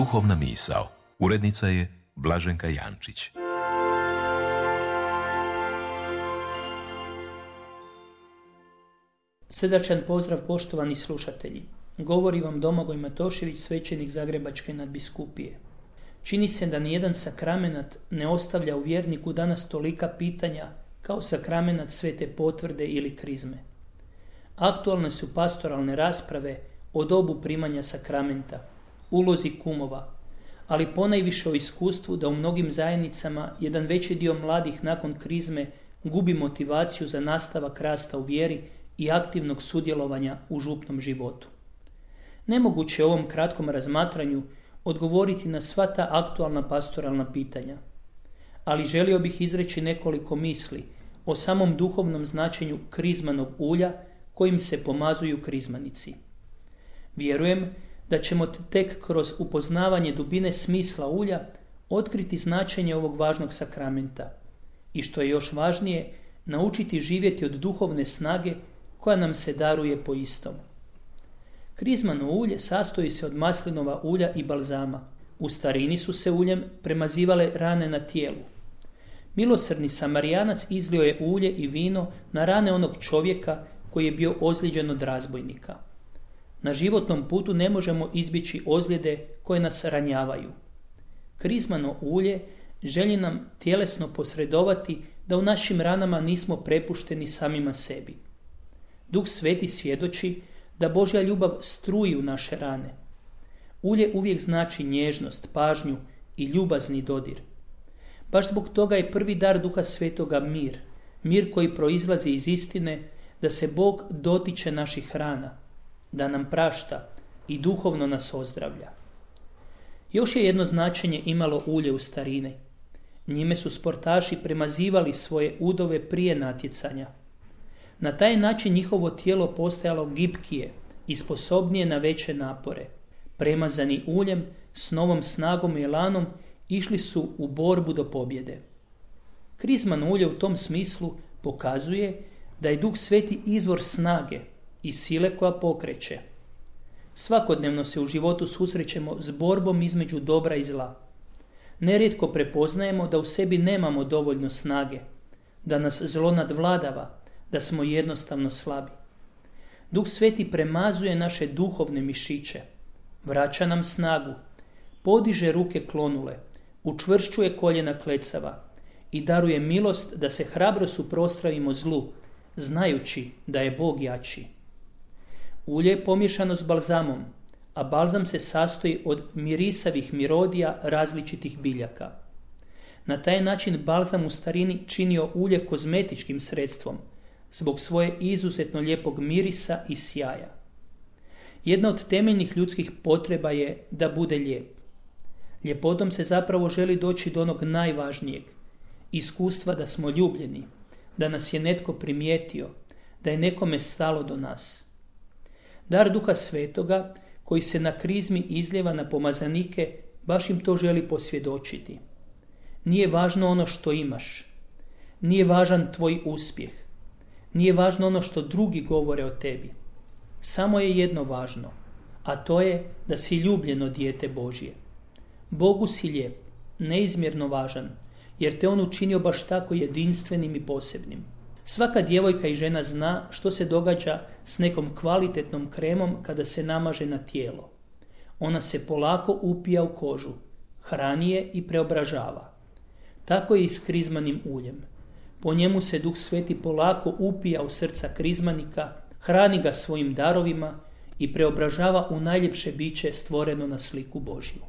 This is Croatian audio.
Duhovna misao. Urednica je Blaženka Jančić. Srdačan pozdrav, poštovani slušatelji. Govori vam Domagoj Matošević, svećenik Zagrebačke nadbiskupije. Čini se da nijedan sakramenat ne ostavlja u vjerniku danas tolika pitanja kao sakramenat Svete potvrde ili krizme. Aktualne su pastoralne rasprave o dobu primanja sakramenta, ulozi kumova, ali ponajviše o iskustvu da u mnogim zajednicama jedan veći dio mladih nakon krizme gubi motivaciju za nastavak rasta u vjeri i aktivnog sudjelovanja u župnom životu. Nemoguće je u ovom kratkom razmatranju odgovoriti na sva ta aktualna pastoralna pitanja, ali želio bih izreći nekoliko misli o samom duhovnom značenju krizmanog ulja kojim se pomazuju krizmanici. Vjerujem da ćemo tek kroz upoznavanje dubine smisla ulja otkriti značenje ovog važnog sakramenta i, što je još važnije, naučiti živjeti od duhovne snage koja nam se daruje po istom. Krizmano ulje sastoji se od maslinova ulja i balzama. U starini su se uljem premazivale rane na tijelu. Milosrdni Samarijanac izlio je ulje i vino na rane onog čovjeka koji je bio ozlijeđen od razbojnika. Na životnom putu ne možemo izbjeći ozljede koje nas ranjavaju. Krizmano ulje želi nam tjelesno posredovati da u našim ranama nismo prepušteni samima sebi. Duh Sveti svjedoči da Božja ljubav struji u naše rane. Ulje uvijek znači nježnost, pažnju i ljubazni dodir. Baš zbog toga je prvi dar Duha Svetoga mir, mir koji proizlazi iz istine da se Bog dotiče naših rana, da nam prašta i duhovno nas ozdravlja. Još je jedno značenje imalo ulje u starini. Njime su sportaši premazivali svoje udove prije natjecanja. Na taj način njihovo tijelo postajalo gibkije i sposobnije na veće napore. Premazani uljem s novom snagom i elanom išli su u borbu do pobjede. Krizmano ulje u tom smislu pokazuje da je Duh Sveti izvor snage i sile koja pokreće. Svakodnevno se u životu susrećemo s borbom između dobra i zla. Nerijetko prepoznajemo da u sebi nemamo dovoljno snage, da nas zlo nadvladava, da smo jednostavno slabi. Duh Sveti premazuje naše duhovne mišiće, vraća nam snagu, podiže ruke klonule, učvršćuje koljena klecava i daruje milost da se hrabro suprotstavimo zlu, znajući da je Bog jači. Ulje je pomiješano s balzamom, a balzam se sastoji od mirisavih mirodija različitih biljaka. Na taj način balzam u starini činio ulje kozmetičkim sredstvom, zbog svoje izuzetno lijepog mirisa i sjaja. Jedna od temeljnih ljudskih potreba je da bude lijep. Ljepotom se zapravo želi doći do onog najvažnijeg, iskustva da smo ljubljeni, da nas je netko primijetio, da je nekome stalo do nas. Dar Duha Svetoga, koji se na krizmi izljeva na pomazanike, baš im to želi posvjedočiti. Nije važno ono što imaš, nije važan tvoj uspjeh, nije važno ono što drugi govore o tebi. Samo je jedno važno, a to je da si ljubljeno dijete Božje. Bogu si lijep, neizmjerno važan, jer te on učinio baš tako jedinstvenim i posebnim. Svaka djevojka i žena zna što se događa s nekom kvalitetnom kremom kada se namaže na tijelo. Ona se polako upija u kožu, hrani je i preobražava. Tako je i s krizmanim uljem. Po njemu se Duh Sveti polako upija u srca krizmanika, hrani ga svojim darovima i preobražava u najljepše biće stvoreno na sliku Božju.